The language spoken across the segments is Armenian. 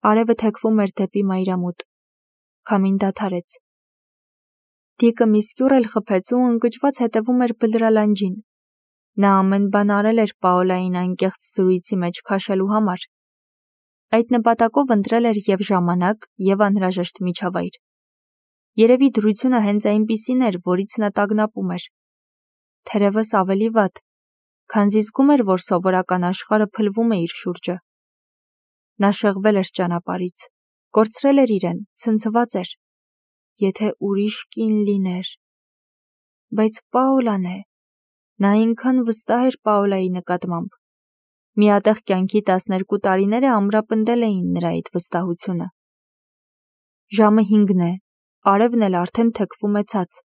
Արևը թեքվում էր դեպի մայրամուտ։ Քամին դադարեց։ Դիկը մի սկյուռ էլ խփեց ու ընկճված հետևում էր բլրալանջին։ Նա ամեն բան արել էր Պաոլային անկեղծ զրույցի մեջ քաշելու համար։ Այդ նպատակով ընտրել էր և ժամանակ, և անհրաժեշտ միջավայր։ Երևի դրությունը հենց այնպիսին էր, որից նա տագնապում էր։ Թերևս ավելի վատ, քանզի զգում էր, որ սովորական աշխարհը փլվում է իր շուրջը։ Նա շեղվել էր ճանապարհից, կորցրել էր իրեն, ցնցված էր։ Եթե ուրիշ կին լիներ։ Բայց Պաոլան է։ Նա այնքան վստահ էր Պաոլայի նկատմամբ։ Միատեղ կյանքի 12 տարիները ամրապնդել էին նրա այդ վստահությունը։ Ժամը 5-ն է, արևն էլ արդեն թեքվում է ցած,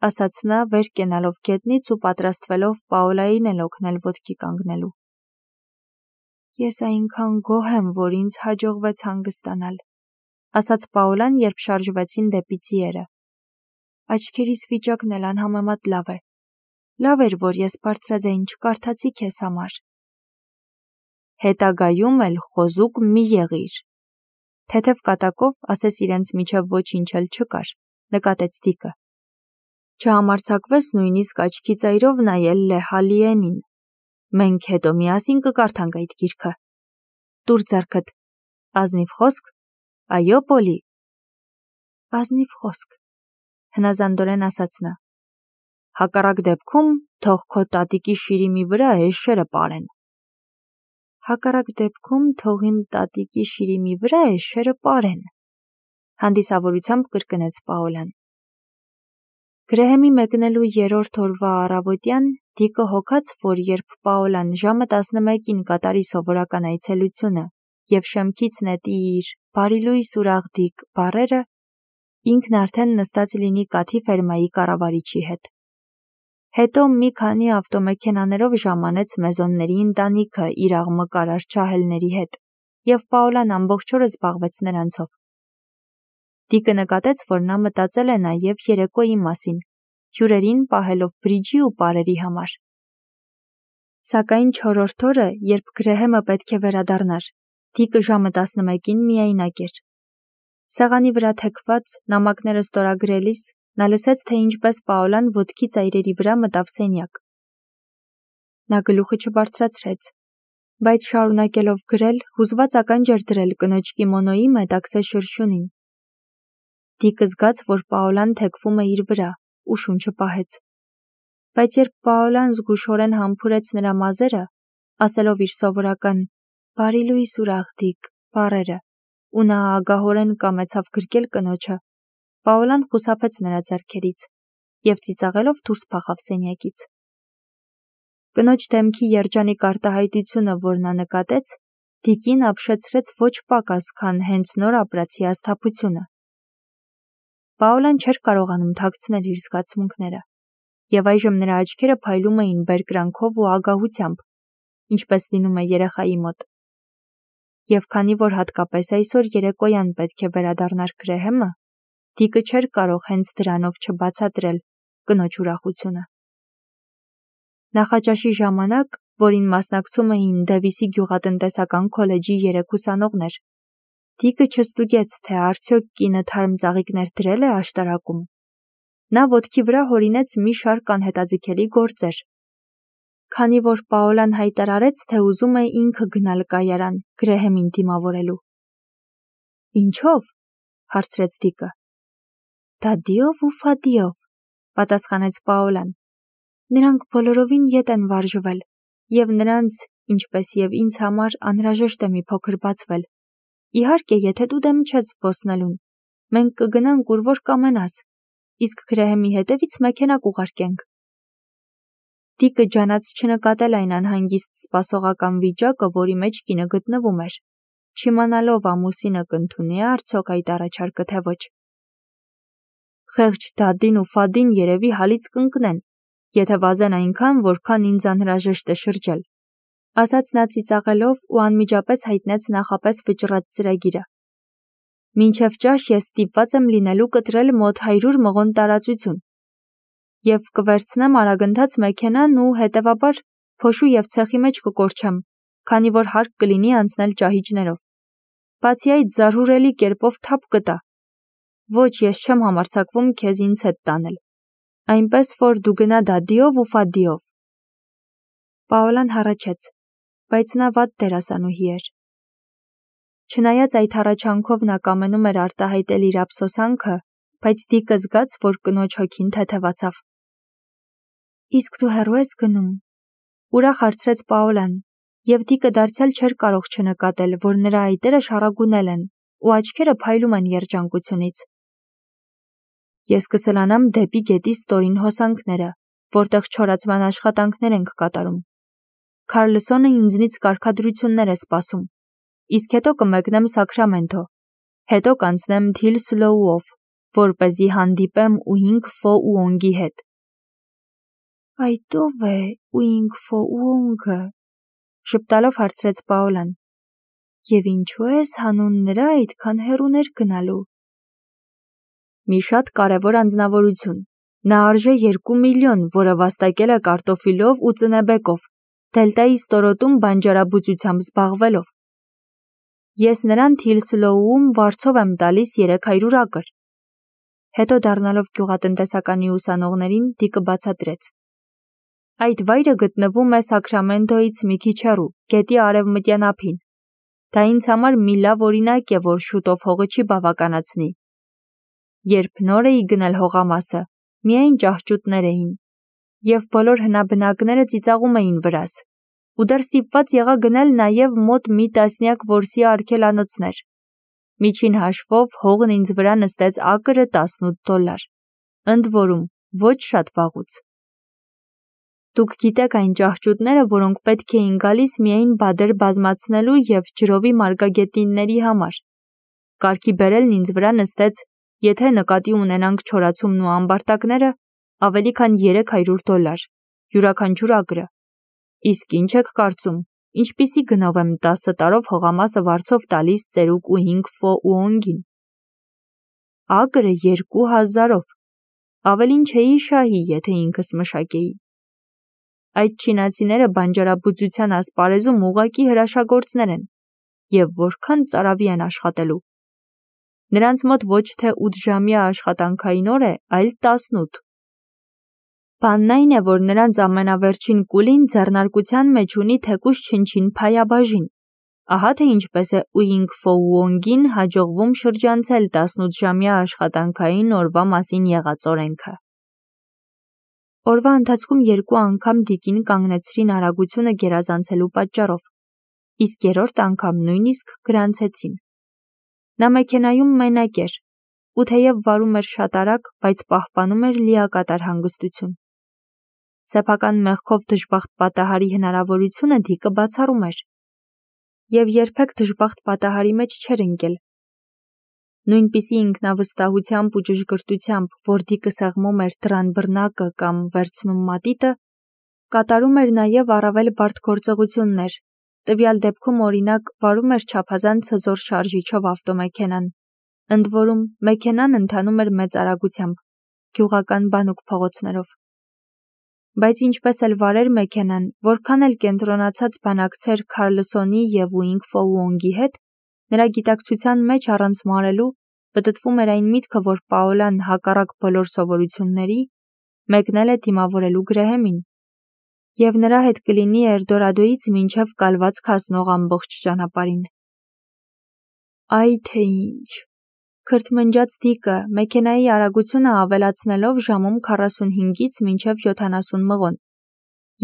ասաց նա վեր կենալով գետնից ու պատրաստվելով Պաոլային էլ օգնել ոտքի կանգնելու։ Ես այնքան գոհ եմ, որ ինձ հաջողվեց հանգստանալ, ասաց Պաոլան, երբ շարժվեցին դեպի ձիերը։ Աչքերիս վիճակն էլ անհամեմատ լավ է։ Լավ էր, որ ես բարձրաձայն չկարդացի քեզ համար։ Հետագայում էլ խոզուկ մի եղիր։ Թեթև կատակով, ասես իրենց միջև ոչինչ էլ չկար, նկատեց Դիկը։ Չհամարձակվես նույնիսկ աչքի ծայրով նայել Լեհալիենին։ Մենք հետո միասին կկարդանք այդ գիրքը։ Տուր ձեռքդ։ Ազնիվ խոսք։ Այո, Պոլի։ Ազնիվ խոսք, հնազանդորեն ասաց նա։ Հակառակ դեպքում թող քո տատիկի շիրիմի վրա էշերը պարեն։ Հակառակ դեպքում թող իմ տատիկի շիրիմի վրա էշերը պարեն, հանդիսավորությամբ կրկնեց Պաոլան։ Գրեհեմի մեկնելու 3-րդ օրվա առավոտյան Դիկը հոգաց, որ երբ Պաոլան ժամը 11-ին կատարի սովորական այցելությունը և շեմքից նետի իր «բարի լույս ուրախ-Դիկ» բառերը, ինքն արդեն նստած լինի կաթի ֆերմայի կառավարիչի հետ։ Հետո մի քանի ավտոմեքենաներով ժամանեց Մեզոնների ընտանիքը իր աղմկար արչահելների հետ, և Պաոլան ամբողջ օրը զբաղվեց նրանցով։ Դիկը նկատեց, որ նա մտածել է նաև երեկոյի մասին, հյուրերին պահելով բրիջի ու պարերի համար։ Սակայն 4-րդ օրը, երբ Գրեհեմը պետք է վերադառնար, Դիկը ժամը 11-ին միայնակ էր։ Սեղանի վրա թեքված նամակները ստորագրելիս նա լսեց, թե ինչպես Պաոլան ոտքի ծայրերի վրա մտավ սենյակ։ Նա գլուխը չբարձրացրեց, բայց շարունակելով գրել, հուզված ականջ էր դրել կնոջ կիմոնոյի մետաքսե շրշյունին։ Դիկը զգաց, որ Պաոլան թեքվում է իր վրա ու շունչը պահեց։ Բայց երբ Պաոլան զգուշորեն համբուրեց նրա մազերը, ասելով իր սովորական «բարի լույս ուրախ-Դիկ» բառերը, ու նա ագահորեն կամեցավ գրկել կնոջը, Պաոլան խուսափեց նրա ձեռքերից և ծիծաղելով դուրս փախավ սենյակից։ Կնոջ դեմքի երջանիկ արտահայտությունը, որ նա նկատեց, Դիկին ապշեցրեց ոչ պակաս, քան հենց նոր ապրածի ազդափությունը։ Պաոլան չէր կարողանում թաքցնել իր զգացմունքները, և այժմ նրա աչքերը փայլում էին բերկրանքով ու ագահությամբ, ինչպես լինում է երեխայի մոտ։ Եվ քանի որ հատկապես այսօր երեկոյան պետք է վերադառնար Գրեհեմը, Դիկը չէր կարող հենց դրանով չբացատրել կնոջ ուրախությունը։ Նախաճաշի ժամանակ, որին մասնակցում էին Դևիսի գյուղատնտեսական քոլեջի 3 ուսանողներ, Դիկը չստուգեց, թե արդյոք կինը թարմ ծաղիկներ դրել է աշտարակում։ Նա ոտքի վրա հորինեց մի շարք անհետաձգելի գործեր։ Քանի որ Պաոլան հայտարարեց, թե ուզում է ինքը գնալ կայարան Գրեհեմին դիմավորելու։ Ինչո՞վ, հարցրեց Դիկը։ Դադիով ու Ֆադիով, պատասխանեց Պաոլան։ Նրանք բոլորովին ետ են վարժվել, և նրանց, ինչպես և ինձ համար, անհրաժեշտ է մի փոքր բացվել։ Իհարկե, եթե դու դեմ չես զբոսնելուն, մենք կգնանք ուր որ կամենաս, իսկ Գրեհեմի հետևից մեքենա կուղարկենք։ Դիկը ջանաց չնկատել այն անհանգիստ սպասողական վիճակը, որի մեջ կինը գտնվում էր, չիմանալով ամուսինը կընդունի է արդյոք այդ առաջարկը, թե ոչ։ Խեղճ Դադին ու Ֆադին երևի հալից կընկնեն, եթե վազեն այնքան, որքան ինձ անհրաժեշտ է շրջել, ասաց նա ծիծաղելով ու անմիջապես հայտնեց նախապես վճռած ծրագիրը։ Մինչև ճաշ ես ստիպված եմ լինելու կտրել մոտ 100 մղոն տարածություն և կվերցնեմ արագընթաց մեքենան ու հետևաբար փոշու և ցեխի մեջ կկորչեմ, քանի որ հարկ կլինի անցնել ճահիճներով։ բացի այդ զարհուրելի կերպով թափ կտա։ Ոչ, ես չեմ համարձակվում քեզ ինձ հետ տանել, այնպես որ դու գնա դադիով ու ֆադիով։ Պաոլան հառաչեց, բայց նա վատ դերասանուհի էր։ Չնայած այդ հառաչանքով նա կամենում էր արտահայտել իր ափսոսանքը, բայց Դիկը զգաց, որ կնոջ հոգին թեթևացավ։ Իսկ դու հեռու ես գնում, ուրախ հարցրեց Պաոլան, և Դիկը դարձյալ չէր կարող չնկատել, որ նրա այտերը շառագունել են ու աչքերը փայլում են երջանկությունից։ Ես կսլանամ դեպի գետի ստորին հոսանքները, որտեղ չորացման աշխատանքներ ենք կատարում։ Քարլսոնը ինձնից կարգադրություններ է սպասում, իսկ հետո կմեկնեմ Սաքրամենթո, հետո կանցնեմ Թիլ Սլոուով, որպեսզի հանդիպեմ Ուինգ Ֆո Ուոնգի հետ։ Այդ ո՞վ է Ուինգ Ֆո Ուոնգը, ժպտալով հարցրեց Պաոլան, և ինչու ես հանուն նրա այդքան հեռուներ գնալու։ Մի շատ կարևոր անձնավորություն, նա արժե 2 միլիոն, որը վաստակել է կարտոֆիլով ու ծնեբեկով, Դելտայի ստորոտում բանջարաբուծությամբ զբաղվելով։ Ես նրան Թիլ Սլոուում վարձով եմ տալիս 300 ակր։ Հետո դառնալով գյուղատնտեսականի ուսանողներին, Դիկը բացատրեց. Այդ վայրը գտնվում է Սաքրամենթոից մի քիչ հեռու, գետի արևմտյան ափին։ Դա ինձ համար մի լավ օրինակ է, որ շուտով հողը չի բավականացնի։ Երբ նոր էի գնել հողամասը, միայն ճահճուտներ էին, և բոլոր հնաբնակները ծիծաղում էին վրաս, ու դեռ ստիպված եղա գնել նաև մոտ մի տասնյակ որսի արգելանոցներ։ Միջին հաշվով հողն ինձ վրա նստեց ակրը $18, ընդ որում ոչ շատ վաղուց։ Դուք գիտեք այն ճահճուտները, որոնք պետք էին գալիս միայն բադեր բազմացնելու և ջրովի մարգագետինների համար։ Կարգի բերելն ինձ վրա նստեց, եթե նկատի ունենանք չորացումն ու ամբարտակները, ավելի քան $300, յուրաքանչյուր ակրը։ Իսկ ինչ եք կարծում, ինչպիսի գնով եմ 10 տարով հողամասը վարձով տալիս ծերուկ Ուինգ Ֆո Ուոնգին։ Ակրը 2000-ով, ավելին չէի շահի, եթե ինքս մշակեի։ Այդ չինացիները բանջարաբուծության ասպարեզում ուղղակի հրաշագործներ են, և որքան ծարավի են աշխատելու։ Նրանց մոտ ոչ թե 8-ժամյա աշխատանքային օր է, այլ 18։ Բանն այն է, որ նրանց ամենավերջին կուլին ձեռնարկության մեջ ունի թեկուզ չնչին փայաբաժին։ Ահա թե ինչպես է Ուինգ Ֆո Ուոնգին հաջողվում շրջանցել 18-ժամյա աշխատանքային օրվա մասին եղած օրենքը։ Օրվա ընթացքում 2 անգամ Դիկին կանգնեցրին արագությունը գերազանցելու պատճառով, իսկ երրորդ անգամ նույնիսկ գրանցեցին։ Նա մեքենայում մենակ էր, ու թեև վարում էր շատ արագ, բայց պահպանում էր լիակատար հանգստություն։ Սեփական մեղքով դժբախտ պատահարի հնարավորությունը Դիկը բացառում էր, և երբեք դժբախտ պատահարի մեջ չէր ընկել։ Նույնպիսի ինքնավստահությամբ ու ճշգրտությամբ, որ Դիկը սեղմում էր դռան բռնակը կամ վերցնում մատիտը, կատարում էր նաև առավել բարդ գործողություններ, տվյալ դեպքում օրինակ վարում էր չափազանց հզոր շարժիչով ավտոմեքենան, ընդ որում մեքենան ընթանում էր մեծ արագությամբ, գյուղական բանուկ փողոցներով։ Բայց ինչպես էլ վարեր մեքենան, որքան էլ կենտրոնացած բանակցեր Քարլսոնի և Ուինգ Ֆո Ուոնգի հետ, նրա գիտակցության մեջ առանց մարելու պտտվում էր այն միտքը, որ Պաոլան հակառակ բոլոր սովորությունների մեկնել է դիմավորելու Գրեհեմին, և նրա հետ կլինի Էլդորադոյից մինչև կալվածք հասնող ամբողջ ճանապարհին։ Այ թե ինչ, քրթմնջաց Դիկը մեքենայի արագությունը ավելացնելով ժամում 45-ից մինչև 70 մղոն,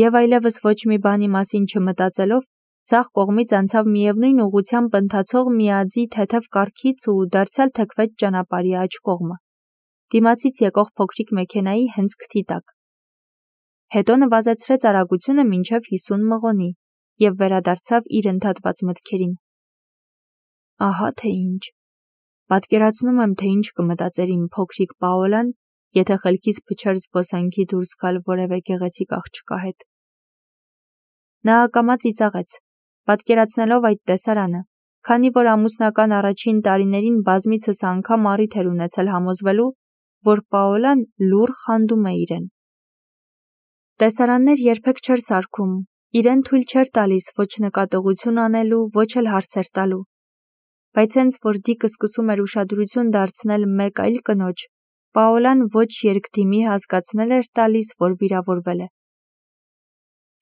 և այլևս ոչ մի բանի մասին չմտածելով, ձախ կողմից անցավ միևնույն ուղղությամբ ընթացող մի adzի թեթև կառքից ու դարձյալ թեքվեց ճանապարհի աջ կողմը, դիմացից եկող փոքրիկ մեքենայի հենց քթի տակ։ Հետո նվազեցրեց արագությունը մինչև 50 մղոնի և վերադարձավ իր ընդհատված մտքերին։ Ահա թե ինչ։ Պատկերացնում եմ, թե ինչ կմտածեր իմ փոքրիկ Պաոլան, եթե խելքից փչեր զբոսանքի դուրս գալ որևէ գեղեցիկ աղջկա հետ։ Նա ակամա ծիծաղեց, պատկերացնելով այդ տեսարանը, քանի որ ամուսնական առաջին տարիներին բազմիցս անգամ առիթ էր ունեցել համոզվելու, որ Պաոլան լուռ խանդում է իրեն։ Տեսարաններ երբեք չէր սարքում, իրեն թույլ չէր տալիս ոչ նկատողություն անելու, ոչ էլ հարցեր տալու։ բայց հենց որ Դիկը սկսում էր ուշադրություն դարձնել մեկ այլ կնոջ, Պաոլան ոչ երկդիմի հասկացնել էր տալիս, որ վիրավորվել է։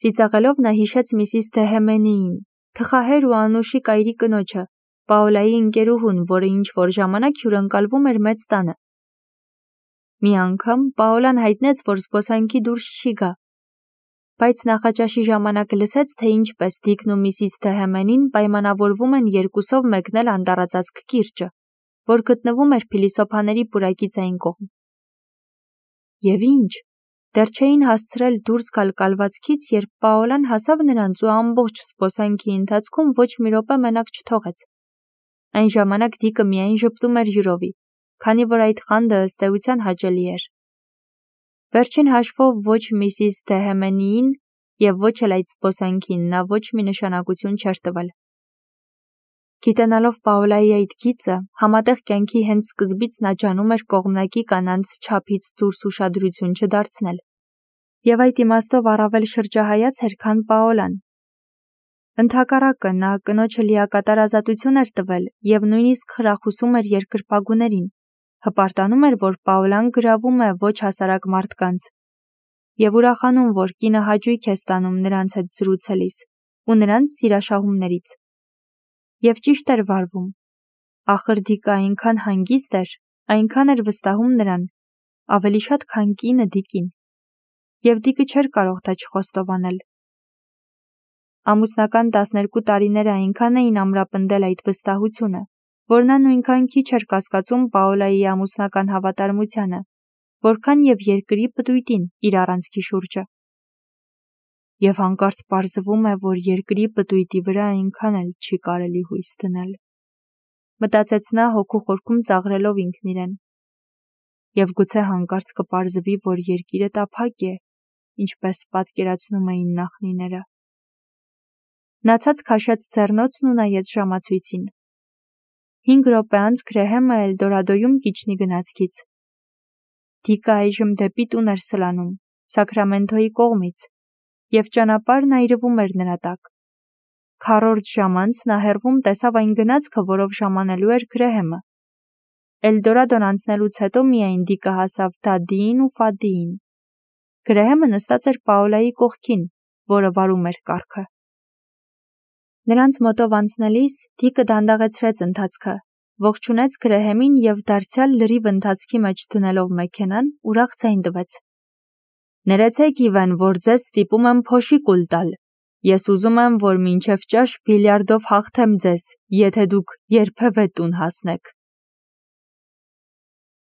Ծիծաղելով նա հիշեց Միսիս Դեհեմենիին, թխահեր ու անուշիկ այրի կնոջը, Պաոլայի ընկերուհուն, որը ինչ-որ ժամանակ հյուրընկալվում էր մեծ տանը։ Մի անգամ Պաոլան հայտնեց, որ զբոսանքի դուրս չի գա, բայց նախաճաշի ժամանակ լսեց, թե ինչպես Դիկն ու Միսիս Դեհեմենին պայմանավորվում են երկուսով մեկնել անտառածածկ կիրճը, որ գտնվում էր փիլիսոփաների պուրակից այն կողմ։ Եվ ինչ, դեռ չէին հասցրել դուրս գալ կալվածքից, երբ Պաոլան հասավ նրանց ու ամբողջ զբոսանքի ընթացքում ոչ մի րոպե մենակ չթողեց։ Այն ժամանակ Դիկը միայն ժպտում էր հյուրովի, քանի որ այդ խանդը ըստ էության հաճելի էր։ Վերջին հաշվով ոչ Միսիս Դեհեմենիին և ոչ էլ այդ զբոսանքին նա ոչ մի նշանակություն չէր տվել։ Գիտենալով Պաոլայի այդ գիծը, համատեղ կյանքի հենց սկզբից նա ջանում էր կողմնակի կանանց չափից դուրս ուշադրություն չդարձնել։ Եվ այդ իմաստով առավել շրջահայաց էր, քան Պաոլան։ Ընդհակառակը նա կնոջը լիակատար ազատություն էր տվել և նույնիսկ խրախուսում էր երկրպագուներին, հպարտանում էր, որ Պաոլան գրավում է ոչ հասարակ մարդկանց, և ուրախանում, որ կինը հաճույք է ստանում նրանց հետ զրուցելիս ու նրանց սիրաշահումներից։ Եվ ճիշտ էր վարվում։ Ախր Դիկը այնքան հանգիստ էր, այնքան էր վստահում նրան, ավելի շատ, քան կինը Դիկին։ Եվ Դիկը չէր կարող դա չխոստովանել։ Ամուսնական 12 տարիները այնքան էին ամրապնդել այդ վստահությունը, որ նա նույնքան քիչ էր կասկածում Պաոլայի ամուսնական հավատարմությանը, որքան և երկրի պտույտին իր առանցքի շուրջը։ Եվ հանկարծ պարզվում է, որ երկրի պտույտի վրա այնքան էլ չի կարելի հույս դնել, մտածեց նա հոգու խորքում ծաղրելով ինքն իրեն։ Եվ գուցե հանկարծ կպարզվի, որ երկիրը տափակ է, ինչպես պատկերացնում էին նախնիները։ Նա ցած քաշեց ձեռնոցն ու նայեց ժամացույցին։ 5 րոպե անց Գրեհեմը Էլդորադոյում կիջնի գնացքից։ Դիկը այժմ դեպի տուն էր սլանում, Սաքրամենթոյի կողմից, և ճանապարհն այրվում էր նրա տակ։ Քառորդ ժամ անց նա հեռվում տեսավ այն գնացքը, որով ժամանելու էր Գրեհեմը։ Էլդորադոն անցնելուց հետո միայն Դիկը հասավ Դադիին ու Ֆադիին։ Գրեհեմը նստած էր Պաոլայի կողքին, որը վարում էր կառքը։ Նրանց մոտով անցնելիս Դիկը դանդաղեցրեց ընթացքը, ողջունեց Գրեհեմին և դարձյալ լրիվ ընթացքի մեջ դնելով մեքենան, ուրախ ձայն տվեց։ Ներեցեք Իվեն, որ ձեզ ստիպում եմ փոշի կուլ տալ։ Ես ուզում եմ, որ մինչև ճաշ բիլիարդով հաղթեմ ձեզ, եթե դուք երբևէ տուն հասնեք։